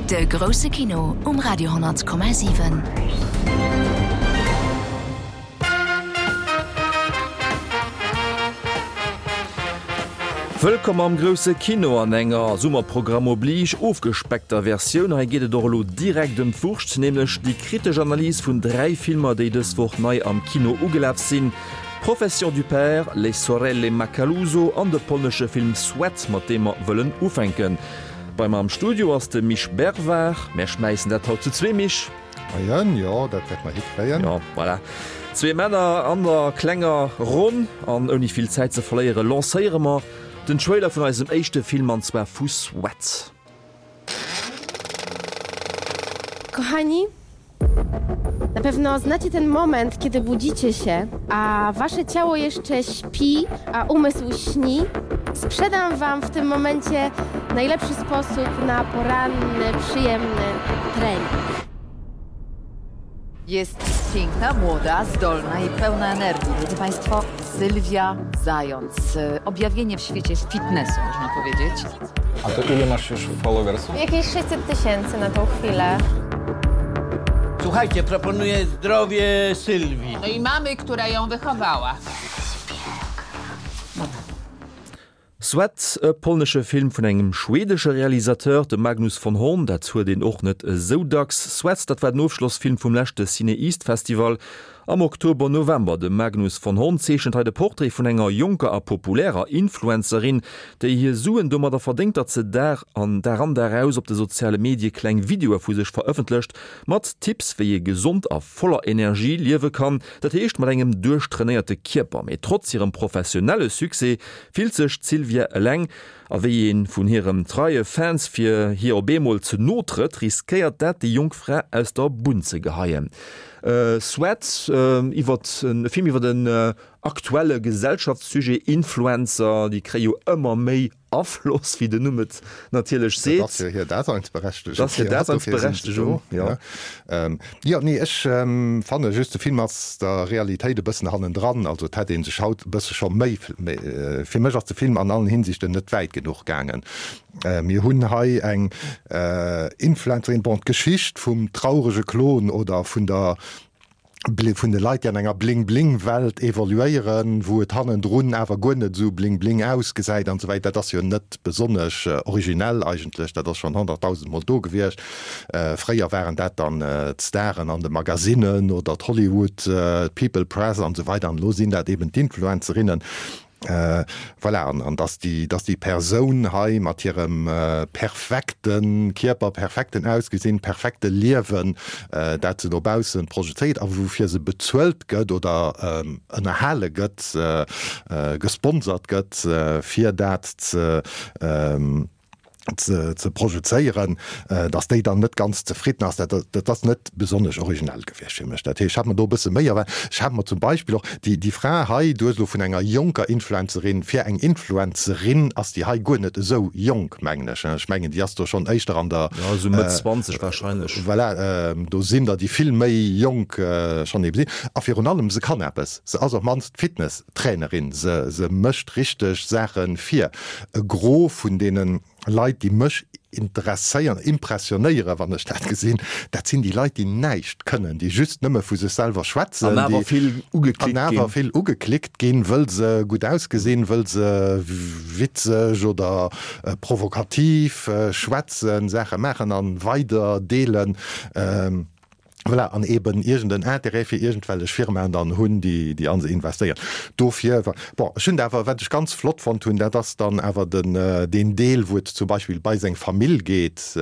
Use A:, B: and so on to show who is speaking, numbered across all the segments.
A: De grousse Kino um Radio 10,7.
B: Wëllkomm am grousse Kino an enger, Summerprogramm oblige, ofgespeckter Versioun. Hei geet et och elo direkt ëm d'Wurscht, nämlech déi kritesch Analys vun 3 Filmer, déi dës Woch nei am Kino ugelaf sinn, Profession du père, Les sorelle Macaluso an de polnesche Film Sweat, mat deem mer wëllen ufänken. Bei mer am Studio ass de Misch Bervard. Mär schmäissen dat haut zu zwee, Misch.
C: Moien, jo, dat wäerte mer hikréien.
B: Jo, voilà. Zwee Männer an der klenger Ronn. An ouni vill Zäit ze verléiere lancéiere mer den Trailer vun eisem éischte Film, an zwar vu Sweat.
D: Kochani, na pewno znacie ten moment, kiedy budzicie się, a wasze ciało jeszcze śpi, a umysł śni. Sprzedam wam w tym momencie najlepszy sposób na poranny, przyjemny trening.
E: Jest piękna, młoda, zdolna i pełna energii. Drodzy Państwo, Sylwia Zając. Objawienie w świecie fitnessu, można powiedzieć.
F: A to ile masz już followersów?
D: Jakieś 600 tysięcy na tą chwilę.
G: Słuchajcie, proponuję zdrowie Sylwii.
H: No i mamy, która ją wychowała.
B: Sweat, e polnesche Film vun engem schwedesche Realisateur, dem Magnus von Horn, dat huet een och net esou dacks. Sweat, dat war den Ofschlossfilm vum leschte CinEast Festival am Oktober-November. De Magnus von Horn zeechent hei de Portrait vun enger jonker a populärer Influencerin, déi hir Suen domadder verdéngt, datt se Dag an Dag an Dag aus op de soziale Medie kleng Videoe vu sech verëffentlecht, mat Tipps, wéi ee gesond a voller Energie liewe kann, dat heescht mat engem duerchtrainéierte Kierper. Mee trotz hirem professionelle Succès fillt sech d'Sylvia eleng, a wéi ee vun hirem treie Fans fir hir op eemol ze no trëtt, riskéiert dat déi jonk Fra aus der Bunn ze geheien. Sweat, iwwert e Film iwwert en aktuelle Gesellschaftssujet, Influencer, déi kréie jo ëmmer méi Afloss, wéi den Numm et natierlech seet.
C: Dat ass jo hir Daseinsberechtegung.
B: Dat ass hir Daseinsberechtegung,
C: jo. Jo, nee, ech fanne just, de Film ass der Realitéit e bëssen hannendran. Also et hätt ee sech haut e bësse scho méi, fir mech ass de Film an allen Hinsichten net wäit genuch gaangen. Mir hunn hei eng Influencerin, bon, d'Geschicht vum traurege Klon oder vun der vun de Leit, déi an enger Bling-Bling-Welt evoluéieren, wou et hannendrun awer guer net esou bling-bling ausgesäit an esou wäit, dat ass jo net besonnesch originell eigentlech, dat ass schonn honnertdausendmol do gewiescht. Fréier waren dat dann d'Staren an de Magasinnen oder d'Hollywood, d'People Press an esou weider an elo sinn dat eben d'Influencerinnen. Voilà, an dass déi, dass déi Persoun hei mat hirem perfekte Kierper, perfekten Ausgesinn, perfekte Liewen, dat se no bausse projezéiert a woufir se bezuelt gëtt oder ënnerhale gëtt, gesponsert gëtt, fir dat ze, ze projezéieren, datt déi dann net ganz zefridden ass, dat dat ass net besonnesch originell gewiescht fir mech. Dat heescht, ech hat mer do e bësse méi erwaart. Ech hat mer zum Beispill och déi déi Fra hei, du hues elo vun enger jonker Influencerin, fir eng Influencerin ass déi hei guer net esou jonk, mengen ech. Ech mengen, déi ass do schonn éischter an der.
B: Jo, esou Mëtt 20 wahrscheinlech.
C: Voilà, do sinn der, déi vill méi jonk schonn ebe sinn. A virun allem, se kann eppes. Se ass op d'mannst Fitness. Trainerin, se se mécht richteg Saache fir e Gros vun deene Leit, déi mech interesséieren, impressionéieren, wann ech dat gesinn, dat sinn déi Leit, déi näischt kënnen, déi just nëmme vu sech selwer schwätzen,
B: An awer vill ugeklickt
C: ginn. An awer vill ugeklickt ginn, wëll se gutt ausgesinn, wëll se witzeg oder provokativ schwätzen, Saache maachen a weider deelen. Voilà, an eben iergend en Intérêt fir iergendwellech Firmaen dann hunn, déi, déi a se investéieren. Dofir, bon, ech hunn awer, wat ech ganz flott fonnt hunn, dat ass dann awer den, deen Deel, wou et zum Beispill bei seng Famill geet,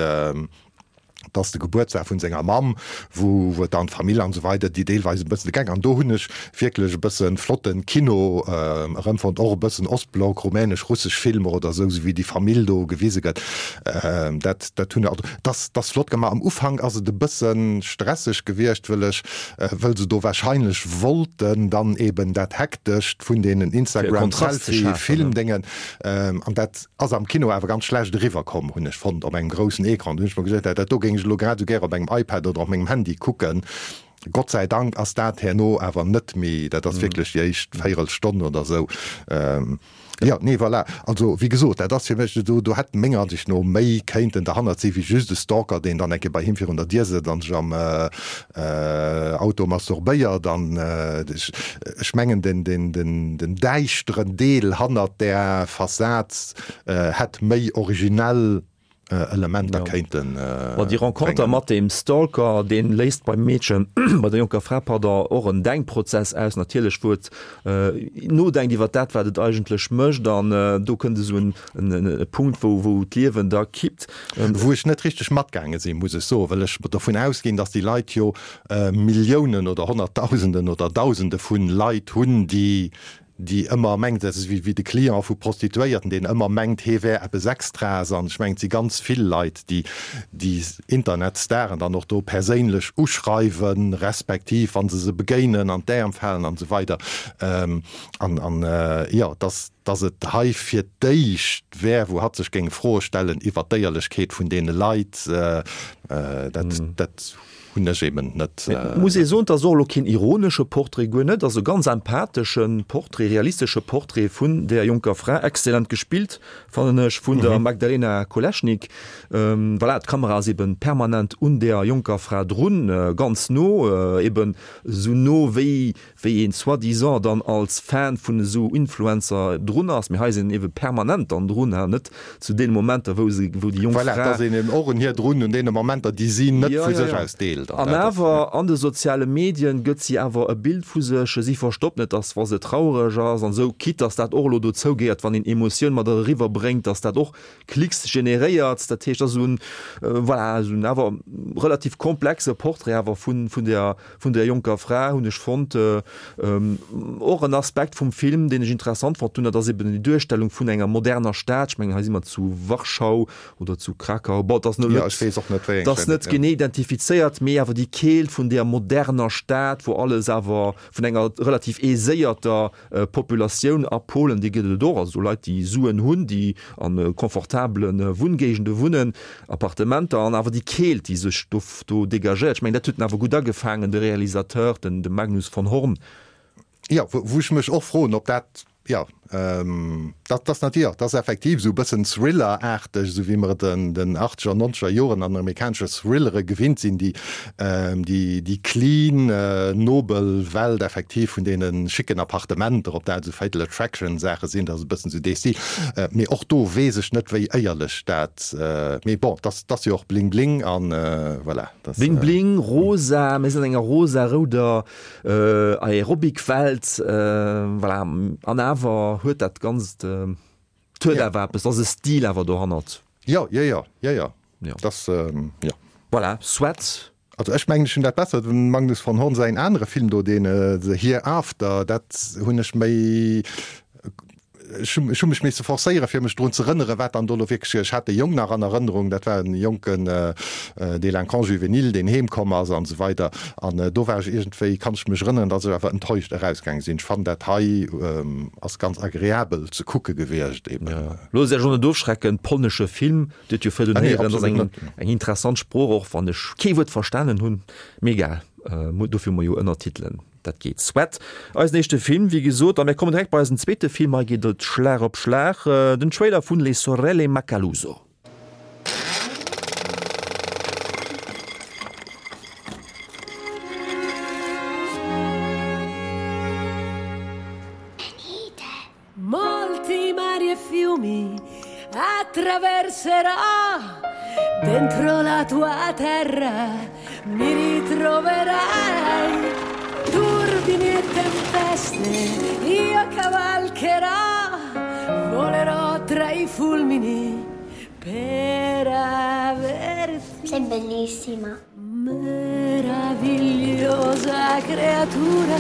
C: dat ass de Gebuertsdag vun senger Mamm, wou, wou et dann d'Famill an esou weider, déi deelweis e bëssen de Geck, an do hunn ech wierklech e bësse flotte Kino erëmfonnt, och e bëssen Ostblock, rumänesch, russesch Filmer oder esou, esou wéi déi Famill do gewise gëtt, dat, dat hunn, also dat, dat ass flott gemaach. Am Ufank ass et e bësse stresseg gewiescht, wëll ech, wëll se do wahrscheinlech wollten dann eben dat Hektescht vun deenen Instagram Selfie Filmdéngen, an dat ass am Kino awer ganz schlecht eriwwer komm, hunn ech fonnt, op engem groussen Ecran. Do hunn ech mer gesot, dat do géing ech elo grad esou gär op engem iPad oder op mengem Handy kucken. Gott sei Dank ass dat herno awer net méi, dat ass wierklech déi éischt Véirelstonn oder esou. Jo, nee, voilà. Also, wéi gesot, dat ass fir mech, do, do hätt menger Ansicht no méi kéinten derhannert si wéi just e Stalker, deen dann eng Kéier bei him virun der Dier sëtzt an sech am Auto masturbéiert. An ech, ech mengen, den, den, den, den däischteren Deel hannert där Fassad hätt méi originell Elementer kéinten
B: bréngen. Ma déi Renconter mat deem Stalker, dee léist beim Meedchen, bei der jonker Fra, pardon, och en Denkprozess aus natierlech, wou et nodenkt iwwer dat, wat et eigentlech mécht. An do kënnt esou en Punkt, wou wou d'Liewen da kippt.
C: Wou ech net richteg matgaange sinn, muss ech soen, well ech dovun ausginn, datt déi Leit jo Milliounen oder Honnertdausenden oder Dausende vu Leit hunn, déi déi ëmmer mengt, dat ass wéi de Client vu Prostituéierten, deen ëmmer mengt, hee wär eppes Extraes. An ech mengen, et si ganz vill Leit, déi déi Internetstaren dann och do perséinlech uschreiwen, respektiv wa se se begéinen, an d'Äerm falen an esou weider. An, an jo, dass, dass et hei fir d'éischt wär, wou hatt sech géing Froe stellen iwwert d'Éierlechkeet vun deene Leit, dat, dat Hunn ech eben net.
B: Et muss ee soen, et ass och elo keen ironesche Portrait, guer net, et ass e ganz empathesche Portrait, realistesche Portrait vun där jonker Fra, exzellent gespillt, fannen ech, vun der Magdalena Koleschnik. Voilà, d'Kamera ass eben permanent un där jonker Fra drun, ganz no, eben esou no wéi wéi een soi-disant dann als Fan vun esou Influencer drun ass, mee hei sinn een ebe permanent dann drun, ha net zu deene Momenter wou se, wou déi jonk
C: Voilà, et
B: Fra.
C: ass een eben och un hir drun, un deene Momenter déi si net
B: Ja,
C: vu
B: ja,
C: sech
B: ja.
C: aus deelt. An
B: An
C: dat ass, ja.
B: awer an de soziale Medien gëtt si awer e Bild vu sech, si verstoppt net, dass wa se traureg ass an esou, quitte dass dat och elo dozou gehéiert, wann een Emotioun mat eriwwer bréngt, dass dat och Klicks generéiert. Dat heescht, dat ass esou en, voilà, esou en awer relativ komplexe Portrait awer vun, vun der, vun der jonker Fra, hunn ech fonnt. Och en Aspekt vum Film, deen ech interessant fonnt hunn, dat ass eben déi Duerstellung vun enger moderner Stad. Ech mengen, hei si mer zu Warschau oder zu Krakau, bon, dat ass
C: elo net,
B: dat ass net genee identifizéiert, mee awer déi Keelt vun där moderner Stad, wou alles awer vun enger relativ aiséierter Populatioun a Polen, déi gëtt et och, also Leit, déi Suen hunn, déi a confortabele Wunngéigende wunnen, Appartementer, an awer déi Keelt, déi sech do do dégagéiert. Ech mengen, dat huet en awer gutt agefaangen, de Realisateur, den de Magnus von Horn.
C: Jo, wou ech mech och froen, ob dat, jo, dat ass natierlech, dat ass effektiv esou e bëssen Thriller-aarteg, esou wéi mer et an den achtzeger an nonzeger Joren an amerikanesche Thrillere gewinnt sinn, déi Déi clean, nobel Welt effektiv vun deene schicken Appartementer, ob dat esou Fatal Attraction Saache sinn, dat ass e bëssen esou dee Stil. Mee och do weess ech net, wéi éierlech dat, mee bon, dat ass jo och Bling Bling an voilà.
B: Bling Bling, rosa, mir sinn an enger rosa-rouder Aerobic-Welt, voilà, an awer huet dat Ganzt, et huet awer eppes, et ass e Stil awer dohannert.
C: Jo, jo, jo, jo, jo. Das, jo.
B: Voilà, soit.
C: Also ech mengen ech hunn dat besser, dem Magnus von Horn säin anere Film do, deen The Hereafter, dat hunn ech méi, ech hu ech hu mech misse forcéiere fir mech drun z'erënnere wat dann do elo wierklech, ech hat de Jong nach an Erënnerung, dat war en jonken Délinquant juvénile, deen heem komm ass an esou weider an do war ech iergendwéi, kann ech mech erënneren, datt ech awer enttäuscht erausgaange sinn. Ech fannen dat hei ass ganz agreabel ze kucke gewiescht eben.
B: Loosst Iech och net ofschrecken, polnesche Film, Dir huet jo virdrun héieren, dat ass eng, eng interessant Sprooch, och wann ech kee Wuert verstanen hunn. Mee egal, dofir hu mer jo Ënnertitelen, dat geet. Sweat, eisen éischte Film, wéi gesot. A mir kommen direkt bei eisen zweete Film. Hei geet et Schlag op Schlag, den Trailer vun Les Sorelle Macaluso.
I: Molti mari e fiumi attraverserò dentro la tua terra mi ritroverai turbini e tempeste io cavalcherò volerò tra i fulmini per averti
J: Sei bellissima
I: Meravigliosa creatura,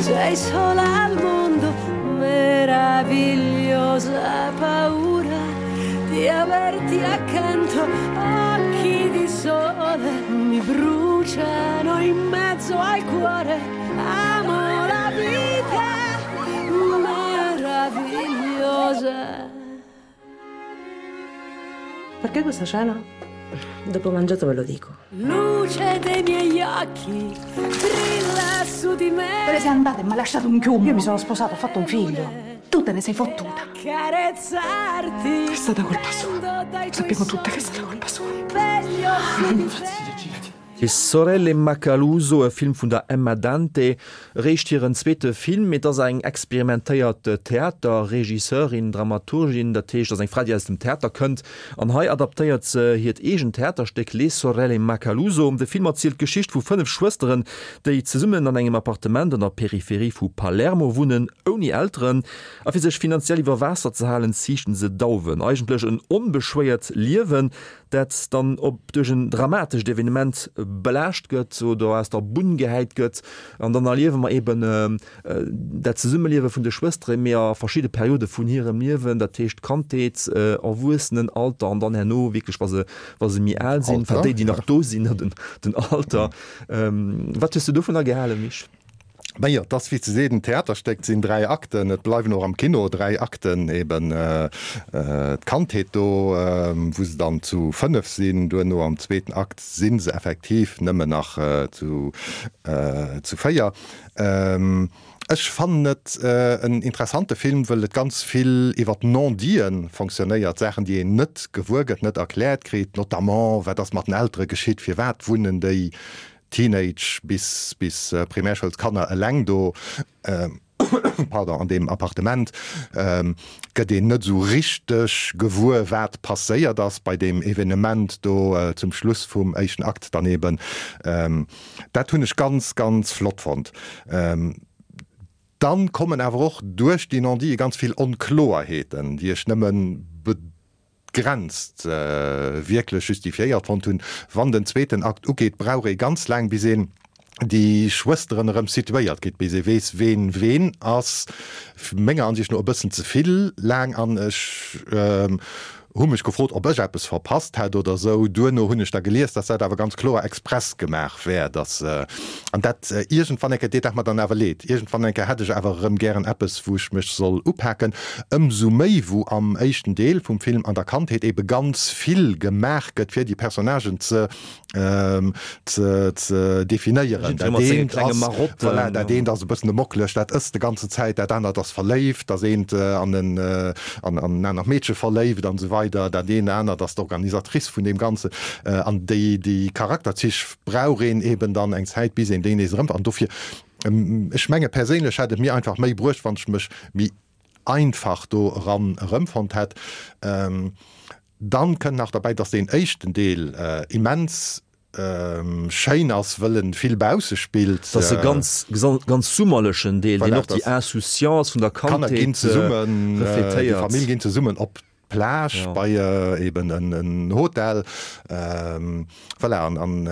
I: sei sola al mondo, meravigliosa paura di averti accanto, occhi di sole mi bruciano in mezzo al cuore, amo la vita meravigliosa.
K: Perché questa cena?
I: Dopo mangiato ve lo dico. Luce dei miei occhi, brilla su di me. Te ne sei andata e m'hai lasciato un chiumo. Io mi sono sposata, ho fatto un figlio. Tu te ne sei fottuta. È stata colpa sua. Sappiamo tutte che è stata colpa sua.
B: Le sorelle Macaluso, e Film vun der Emma Dante, eréischt hiren zweete Film, mee et ass eng experimentéiert Theaterregisseurin, Dramaturgin, dat heescht, et ass eng Fra, déi aus dem Theater kënnt. An hei adaptéiert se hiert eegent Theaterstéck Les sorelle Macaluso. De Film erzielt d'Geschicht vu 5 Schwësteren, déi zesummen an engem Appartement an der Peripherie vu Palermo wunnen, ouni Elteren. A fir sech finanziell iwwer Waasser ze halen, ziichten se Dauwen. Eigentlech en onbeschwéiert Liewen, dat dann op duerch en dramatescht Evenement belaascht gëtt oder aus der Bunn gehäit gëtt. An dann erliewe mer eben dat Zesummeliewe vun de Schwëstere mee a verschidde Periode vun hirem Liewen, dat heescht Kandheet, Erwuessenenalter an dann herno wierklech wa se wa se méi al sinn, enfin déi déi nach do sinn, den Alter. Wat hues de dovunner gehalen, Misch?
C: Majo, et ass wéi ze seet en Theaterstéck, et sinn 3 Akten, et bleiwen och am Kino 3 Akten, eben d'Kandheet do, wou se dann zu 5 sinn, duerno am zweeten Akt si se effektiv nëmmen nach zu 4. Ech fannen et en interessante Film, wëll et ganz vill iwwer Non-Diten fonctionnéiert, Saachen, déi een net gewuer gëtt, net erkläert kritt, notamment wat ass mat den Eltere geschitt, firwat wunnen déi Teenage bis bis Primärschoulskanner eleng do, pardon, an deem Appartement, gëtt een net esou richteg gewuer, wat passéiert ass bei deem Evenement do zum Schluss vum éischten Akt dann eben. Dat hunn ech ganz, ganz flott fonnt. Dann kommen awer och duerch déi Non-diten ganz vill Onkloerheeten, déi ech nëmmen begrenzt wierklech justifiéiert fonnt hunn. Wann den zweeten Akt ugeet, brauch ee ganz laang, bis een déi Schwësteren erëm situéiert kritt, bis ee weess, ween ween ass. Menger Ansicht no e bëssen ze vill laang an ech hu mech gefrot, ob ech eppes verpasst hätt oder esou. Duerno hunn ech da gelies, dass dat awer ganz kloer express gemaach wär, dass, an dat iergendwann eng Kéier deet dat mer dann awer leed, iergendwann eng Kéier hätt ech awer erëm gären eppes, wou ech mech soll upaken. Ëmsou méi, wou am éischten Deel vum Film an der Kandheet ebe ganz vill gemaach gëtt, fir déi Personnagen ze ze definéieren. Dat eent ass, voilà, dat eent ass e bëssen e Mocklech, dat ësst de ganze Zäit, dat anert ass verléift, dat eent an en an en anert Meedche verléift an esou weider, dat eent anert ass d'Organisatrice vun deem Ganzen. An déi déi Charakterzich brauch een eben dann eng Zäit, bis een déi nees erëm. An dofir, ech menge perséinlech hätt et mir einfach méi bruecht, wann ech mech méi einfach do eran erëmfonnt hätt. Dann kënnt nach derbäi, dass deen éischten Deel immens schéin ass, wëll en vill bausse spillt.
B: Dat ass e ganz, ganz summerlechen Deel, deen och déi Insouciance vun der Kandheet
C: refletéiert. Déi Famill ginn zesummen op d'Plage bei eben en Hotel. Voilà, an an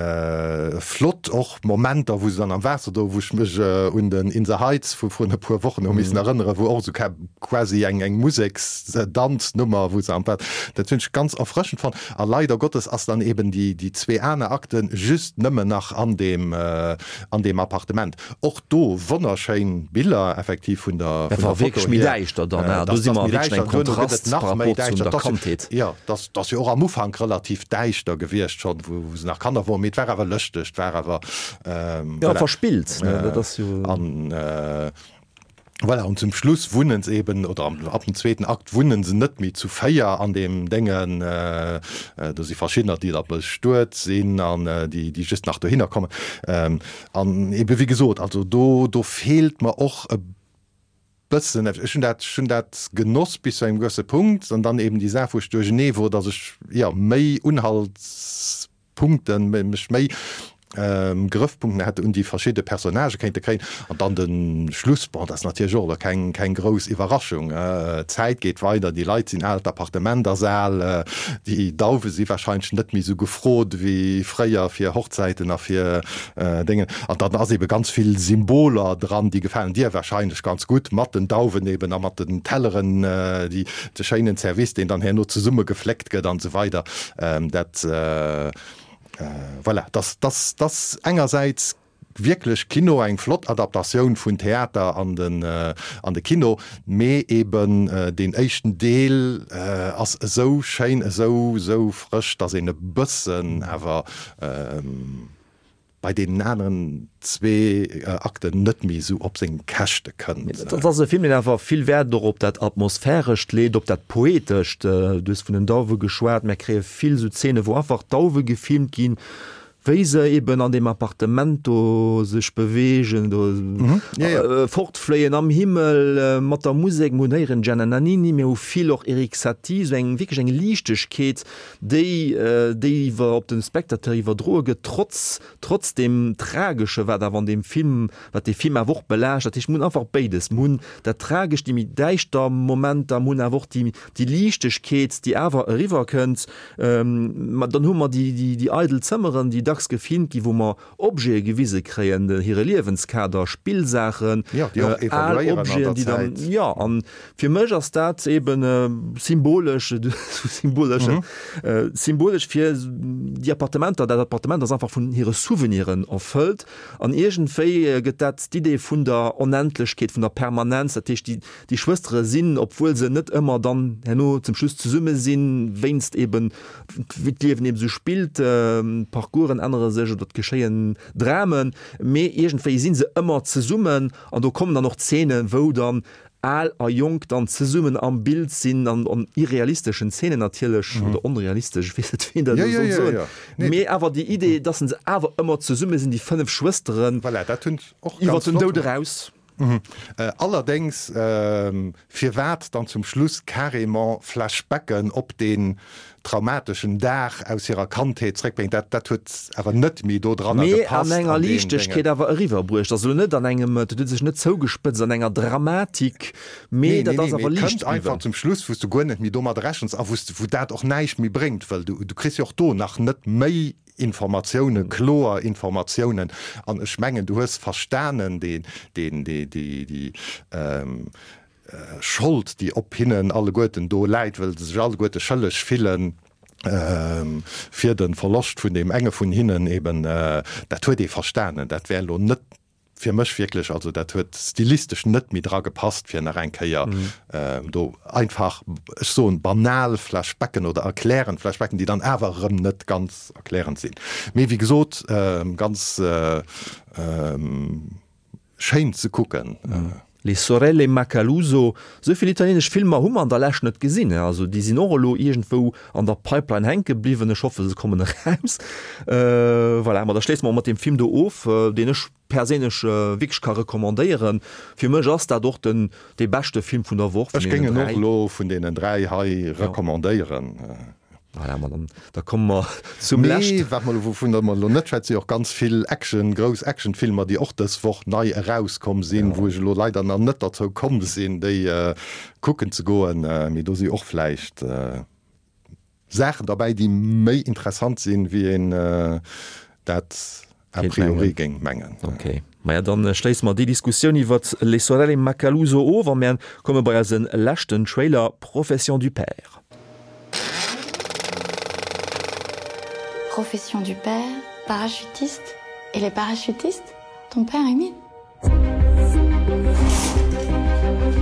C: flott och Momenter, wou se dann am Waasser do, wou ech mech un den In the Heights vu vrun e puer Wochen hu missen erënneren, wou och esou quasi eng eng Museks-Danznummer, wou se am Waasser, dat hunn ech ganz erfrëschend fonnt. A leider Gottes ass dann eben déi déi zwee aner Akte just nëmmen nach an deem an deem Appartement. Och do wonnerschéin Biller effektiv vun der
B: Dat war wierklech méi däischter dann, do si mer wierklech engem Kontrast par rapport zu der Kandheet.
C: Jo, dat ass jo och am Ufank relativ däischter gewiescht schonn, wou se nach Kanner woren, mee et war awer lëschteg, et war awer,
B: voilà. Jo, verspillt, ne, dat ass jo.
C: An voilà, an zum Schluss wunnen se eben, oder ab dem zweeten Akt wunnen se net méi zu 4 an deem Déngen, do si verschiddener, déi da bestuet sinn an déi, déi just nach dohinner kommen. An ebe wéi gesot, also do, do feelt mer och e bëssen, ech hunn dat, ech hunn dat genoss bis zu engem gewësse Punkt an dann eben déi Saach, wou ech duerchenee wor, datt ech, jo, méi Unhaltspunkten, mech méi Grëffpunkten hätt un déi verschidde Personnagë kéinte kréien. An dann de Schluss, bon, dat ass natierlech och elo keng, keng grouss Iwwerraschung, d'Zäit geet weider, déi Leit sinn al, d'Appartement ass al, déi Dauwe si warscheinlech net méi esou gefrot wéi fréier fir Hochzäiten a fir Déngen. An dann ass ebe ganz vill Symboler dran, déi gefalen dir wahrscheinlech ganz gutt, mat den Dauwen eben a mat den Telleren, déi, de schéinen Service, deen dann herno zesumme gefléckt gëtt an esou weider. Dat, voilà, dass, dass, dass engersäits. wierklech Kino, eng flott Adaptatioun vun Theater an den an de Kino, mee eben deen éischten Deel ass esou schéin, esou esou frësch, dass een e bëssen awer bei deenen aneren zwee Akten net méi esou op seng Käschte kënnt.
B: Dat ass e Film, deen awer vill Wäert och op dat Atmosphärescht leet, op dat Poetescht. Du hues vun den Dauwe geschwat, mär kréie vill esou Zeene wou einfach Dauwe gefilmt ginn, wéi se eben an deem Appartement do sech beweegen, do fortfléien am Himmel mat der Musek. Mir hunn héieren Gianna Nannini, mir hu vill och Erik Satie, esou eng wierklech eng Liichtegkeet, déi déi iwwer op de Spectateur iwwerdroe gëtt, trotz trotz deem Tragesche wat awer an deem Film, wat dee Film awer och belaascht. Dat heescht, mir hunn einfach béides, mir hunn dat Tragescht, déi méi däischter Momenter, mir hunn awer och déi déi Liichtegkeet, déi awer eriwwer kënnt. Ma dann hu mer déi déi déi eidel Zëmmeren, déi dacks gefilmt ginn, wou mer Objete gewise kréien, hire Liewenskader, Spillsaachen, al Objeten, déi dann, jo, an fir mech ass dat eben symbolesch, symbolesch, symbolesch fir déi Appartementer, dat Appartement ass einfach vun hire Souveniren erfëllt an iergendwéi gëtt dat d'Idee vun der Onendlechkeet, vun der Permanenz, dat heescht, déi, déi Schwëstere sinn, obwuel se net ëmmer dann herno zum Schluss zesumme sinn, wéinst eben wéi d'Liewen eben esou spillt, d'Parcoursen ännere sech oder et geschéien Dramen, mee iergendwéi si se ëmmer zesummen an do kommen dann och Zeenen, wou dann al a jonk dann zesummen am Bild sinn an an irrealisteschen Zeenen natierlech, oder onrealistesch, ech weess net, wéi een dat elo soll soen, mee awer déi Idee, dass se awer ëmmer zesumme sinn, déi 5 Schwësteren, iwwer den Doud eraus.
C: Allerdéngs, firwat dann zum Schluss carrément Flashbacken op deen traumateschen Dag aus hirer Kandheet zréckbréngen, dat dat huet awer net méi do dranner
B: Mee an gepasst enger an deen Liichtegkeet Déngen. awer eriwwerbruecht. Also net an engem, dat huet sech net zougespëtzt an enger Dramatik, mee Nee, nee, dat ass nee, mee awer et
C: liicht kënnt einfach bliwwen. zum Schluss, wou s du guer net méi domat rechens a wou s, wou dat och näischt méi bréngt, wëll du, du kriss jo och do nach net méi Informatiounen, kloer Informatiounen. An ech mengen, du hues verstanen, deen, deen, déi, déi, déi Schold, déi op hinnen alleguerten do läit, wëll se sech alleguerte schëlleg fillen fir de Verloscht vun deem enge vun hinnen eben, dat huet ee verstanen. Dat wär elo net fir mech wierklech, also dat huet stilistesch net méi dra gepasst, fir nach eng Kéier do einfach, ech soen, banal Flashbacken oder erklärend Flashbacken, déi dann awer erëm net ganz erklärend sinn. Mee wéi gesot, ganz schéin ze kucken.
B: Les sorelle Macaluso, esou vill italienesch Filmer hu mer an der Lescht net gesinn, also déi sinn och elo iergendwou an der Pipeline hänke bliwwen, ech hoffe se kommen eraus. Voilà, ma da schléisse mer och mat deem Film do of, deen ech perséinlech wierklech ka recommandéieren. Fir mech ass dat och den dee beschte Film vun der Woch
C: vun
B: Ech géing
C: deenen en och 3. elo vun deenen 3 hei recommandéieren.
B: Voilà, ma dann, da komme mer zum leschten.
C: Mee wat mer elo, wouvun mer elo net schwätzen, si och ganz vill Action, grouss Actionfilmer, déi och dës Woch nei erauskomm sinn, wou ech elo leider nach net derzou komm sinn, déi kucken ze goen. Mee do si och vläicht Saachen derbäi, déi méi interessant sinn, wéi een dat a priori géing mengen.
B: Ok, maja dann schléisse mer déi Diskussioun iwwert Les sorelle Macaluso of a mär komme bei eise leschten Trailer Profession du père.
J: Profession du père, parachutiste et les parachutistes, ton père Émile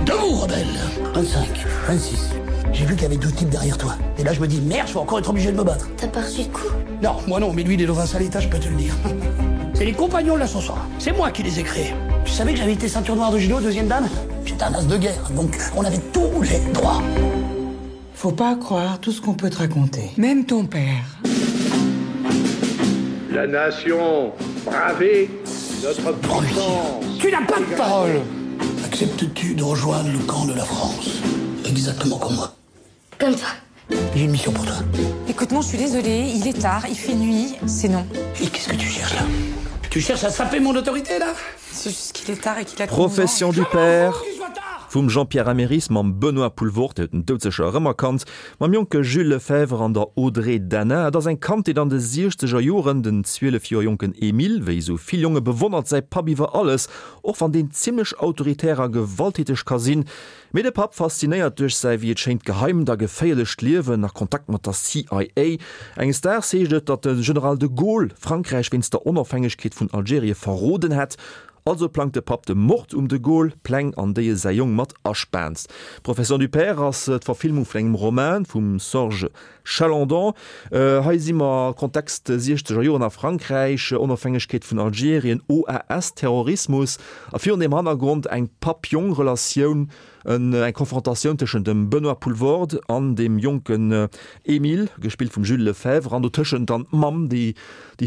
G: Debout, rebelle 25, 26. J'ai vu qu'il y avait deux types derrière toi. Et là, je me dis, merde, je vais encore être obligé de me battre.
J: T'as pas reçu de coup
G: Non, moi non, mais lui, il est dans un sale état, je peux te le dire. C'est les compagnons de l'ascenseur. C'est moi qui les ai créés. Tu savais que j'avais été ceinture noire de judo, deuxième dame J'étais un as de guerre, donc on avait tous les droits.
K: Faut pas croire tout ce qu'on peut te raconter. Même ton père.
L: La nation bravée, notre puissance.
G: Tu n'as pas de parole Acceptes-tu de rejoindre le camp de la France Exactement comme moi.
J: Comme toi.
G: J'ai une mission pour toi.
M: Écoute-moi, je suis désolée, il est tard, il fait nuit, c'est non.
G: Et qu'est-ce que tu cherches là Tu cherches à saper mon autorité là
M: C'est juste qu'il est tard et qu'il a
B: Profession du père. Vum Jean-Pierre Améris mam Benoît Poelvoorde, Dir hutt en doudsécher erëmerkannt, mam jonke Jules Lefebvre an der Audrey Dana. Et ass eng Kandheet an de siechzeger Joren. Den 12 Joer jonken Emile, wéi esou vill Jonge bewonnert säi Papp iwwer alles, och wann deen zimmlech autoritär a gewalttäteg ka sinn. Mee de Papp faszinéiert duerch säi, wéi et schéint, geheimt a geféierlecht Liewen a Kontakt mat der CIA. Enges Daags heescht et, datt de General de Gaulle Frankräich wéinst der Onofhängegkeet vun Algerie verroden hätt. Also plangt de Papp de Mord um de Gaulle, Pläng an déi e säi Jong mat aspaant. Profession du père ass d'Verfilmung vun engem Roman vum Sorge Chalandon. Hei si mer Kontext siechzeger Joren a Frankräich, Onofhängegkeet vun Algerien, OAS, Terrorismus a virun deem Hannergrond eng Papp-Jong-Relatioun, eng Konfrontatioun tëschent dem Benoît Poelvoorde an deem jonken Emile, gespillt vum Jules Lefebvre, an dotëschent dann d'Mamm, déi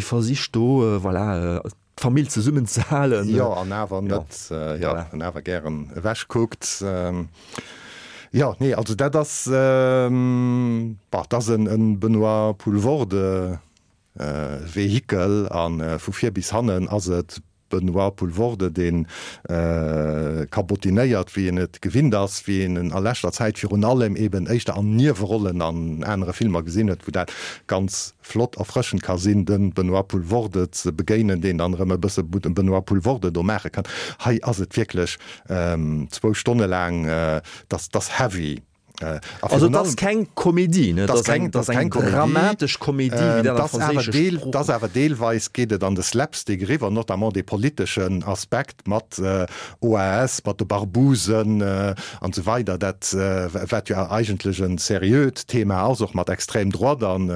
B: versicht do, voilà, d'Famill zesummen ze halen.
C: Jo, an awer net, jo, an awer gären ewech kuckt. Jo, nee, also dat ass, bah, dat ass en Benoît Poelvoorde Vehikel a vu vir bis hannen ass et Benoît Poelvoorde, dee kabotinéiert, wéi een et gewinnt ass, wéi een en a leschter Zäit virun allem eben éischter an Niewerollen an anere Filmer gesinn huet, wou dat ganz flott erfrëschend ka sinn, de Benoît Poelvoorde ze begéinen, deen dann erëm e bësse Benoît Poelvoorde do maache kann. Hei ass et wierklech zwou Stonne laang, dass dass heavy.
B: Also et ass keng Komedie, ne? Et ass eng, et ass eng dramatesch Komedie, wéi dat am Franséische
C: Sprooch. Et ass awer deelweis geet et an de Slapstick eriwwer, notamment dee politeschen Aspekt mat OAS, mat de Barbouzen an esou weider, dat wat jo eigentlech e seriöt Thema ass, och mat Extrême droite an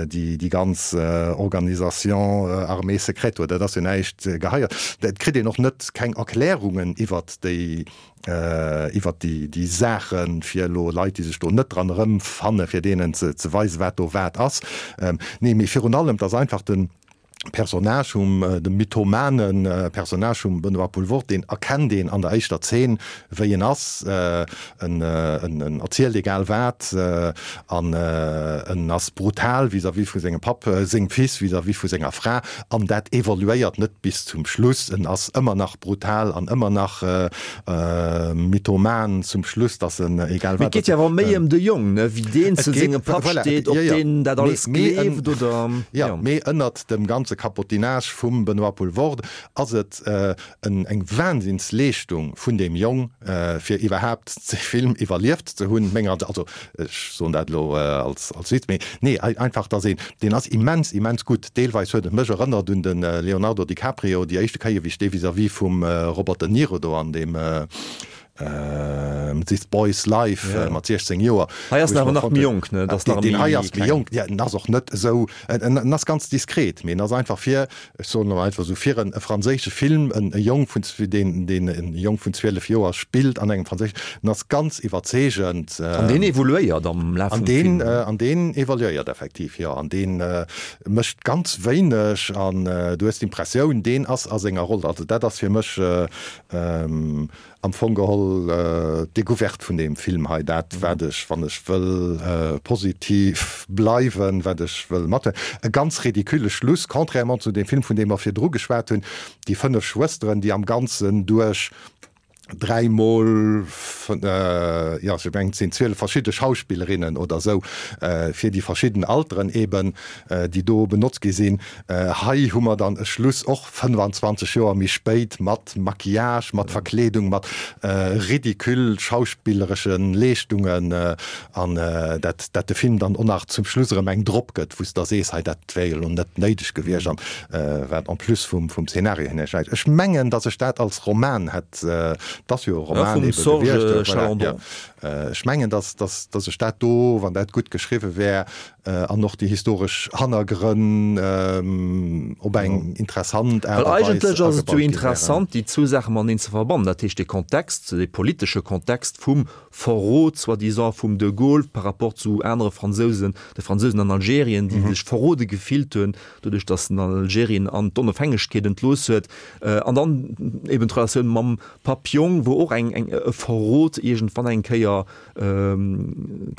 C: déi ganz Organisation armée secrète do, dat ass jo näischt Geheiert. Et kritt een och net keng Erklärungen iwwert déi iwwert déi Saachen, fir elo Leit, déi sech do net dran erëmfanne, fir deenen ze weisen, wat do wat ass. Nee, mee virun allem, et ass einfach den Personnage vum, dem mythomane Personnage vum Benoît Poelvoorde, deen erkennt een an der éischter Zeen, wéi en ass. En, en erzielt egal wat an en ass brutal vis-à-vis vu sengem Papp, sengem Fils, vis-à-vis vu senger Fra. An dat evoluéiert net bis zum Schluss. En ass ëmmer nach brutal an ëmmer nach mythoman zum Schluss, dass en egal
B: wat. Mee et geet jo awer méi ëm de Jong, ne, wéi deen zu sengem Papp steet, ob deen dat alles gleeft oder.
C: Jo, mee ënnert dem ganze Capotinage vum Benoît Poelvoorde ass et eng Wahnsinnsleeschtung vun deem Jong, fir iwwerhaapt dee Film iwwerlieft ze hunn, menger, also ech soen dat elo als Witz, mee nee, einfach dass een, deen ass immens, immens gutt. Deelweis huet et mech erënnert un de Leonardo DiCaprio, déi éischte Kéier wéi ech dee vis-à-vis vum Robert De Niro do an deem This Boy's Life mat 16 Joer.
B: Hei ass en awer nach méi jonk, ne?
C: Deen hei ass méi jonk, ja, en ass och net esou, en ass ganz diskret, mee en ass einfach fir, ech soen elo einfach esou, fir en franséische Film, en Jong vun, deen, deen en Jong vun 12 Joer spillt an engem franséischen, en ass ganz iwwerzeegend.
B: An deen evoluéiert am Laf vum
C: Film. An deen evoluéiert effektiv, jo. An dee mécht ganz wéineg an du hues d'Impressioun, deen ass a senger Roll. Also dat ass fir mech Am Fong geholl d'Decouverte vun deem Film hei, dat wat ech, wann ech wëll positiv bleiwen, wat ech wëll mathuelen. E ganz ridicule Schluss, contrairement zu deem Film, vun deem mer virdru geschwat hunn, déi 5 Schwësteren, déi am Ganzen duerch dräimol, jo, ech mengen et sinn 12 verschidde Schauspillerinnen oder esou, fir déi verschidden Alteren eben, déi do benotzt gi sinn. Hei hu mer dann e Schluss, och 25 Joer méi spéit, mat Maquillage, mat Verkleedung, mat ridicule schauspilleresche Leeschtungen, an dat dat de Film dann och nach zum Schluss erëm eng drop gëtt, wou s de da sees, hei dat wär jo elo net néideg gewiescht, an wat en plus vum vum Szenario hier näischt. Ech mengen, datt ech dat als Roman hätt, et ass jo e Roman ebe gewiescht, voilà, jo. Ech mengen, datt datt datt ech dat do, wann dat gutt geschriwwe wär, An och déi historesch Hannergrënn op eng interessant
B: Aart a Weis. Well eigentlech ass et jo interessant, déi zwou Saache mateneen ze verbannen, dat heescht dee Kontext, dee politesche Kontext vum Verrot soi-disant vum de Gaulle par rapport zu anere Fransousen, de Fransousen an Algerien, déi sech verrode gefillt hunn, doduerch datt en Algerien an d'Onofhängegkeet entlooss huet, an dann eben d'Relatioun mam Papp-Jong, wou och eng, eng, e Verrot iergendwann eng Kéier. Kéier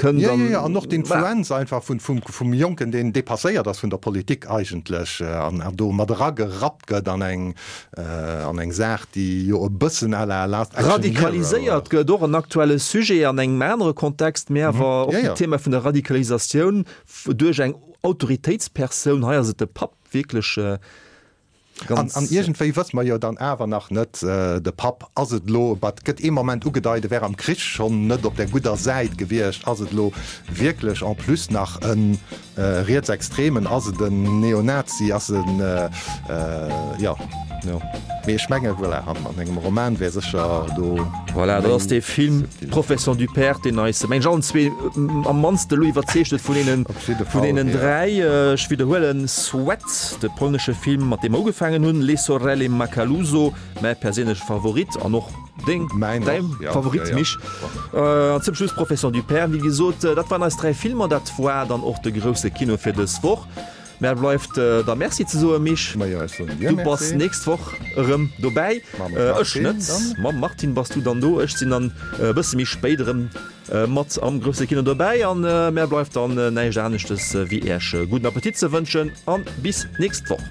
B: kënnt.
C: Jo, jo, jo, an och d'Influenz einfach vun, vum, vum Jonken, deen dépasséiert ass vun der Politik eigentlech an do mat eragerappt gëtt an eng, an eng Saach, déi jo e bëssen à la Last
B: Action Hero. Radikaliséiert gëtt, och en aktuelle Sujet an engem anere Kontext, mä awer och d'Thema vun der Radikalisatioun duerch eng Autoritéitspersoun, hei ass et de Papp, wierklech
C: ganz. An iergendwéi wësse mer jo dann awer nach net, de Papp, ass et elo, et gëtt ee Moment ugedeit, e wär am Krich schonn net op der gudder Säit gewiescht, ass et elo wierklech en plus nach e Rietsextremen, ass et en Neonazi, ass en, jo. Mee ech menge voilà, an engem Roman wär sécher do.
B: Voilà, dat ass dee Film Profession du père, deen eis, meng ech, allen zwee am mannste elo iwwerzeegt huet vun deenen, vun deenen dräi. Ech widderhuelen, Sweat, de polnesche Film, mat deem mer ugefaangen hunn, Les Sorelle Macaluso, mäi perséinleche Favorit an och deng, däi Favorit, Misch. An zum Schluss Profession du père. Wéi gesot, dat waren eis dräi Filmer. Dat war dann och de grousse Kino fir dës Woch. Mär bleift der Merci ze soen, Misch.
C: Majo, ech soen dir
B: Du bass
C: Merci.
B: nächst Woch erëm dobäi.
C: Mam
B: Ech
C: Martin
B: net.
C: dann.
B: Mam Martin bass du dann do. Ech sinn dann e bësse méi spéit erëm mat am grousse Kino dobäi. An mär bleift dann näischt aneschtes wéi Äech gudden Appetit ze wënschen an bis nächst Woch.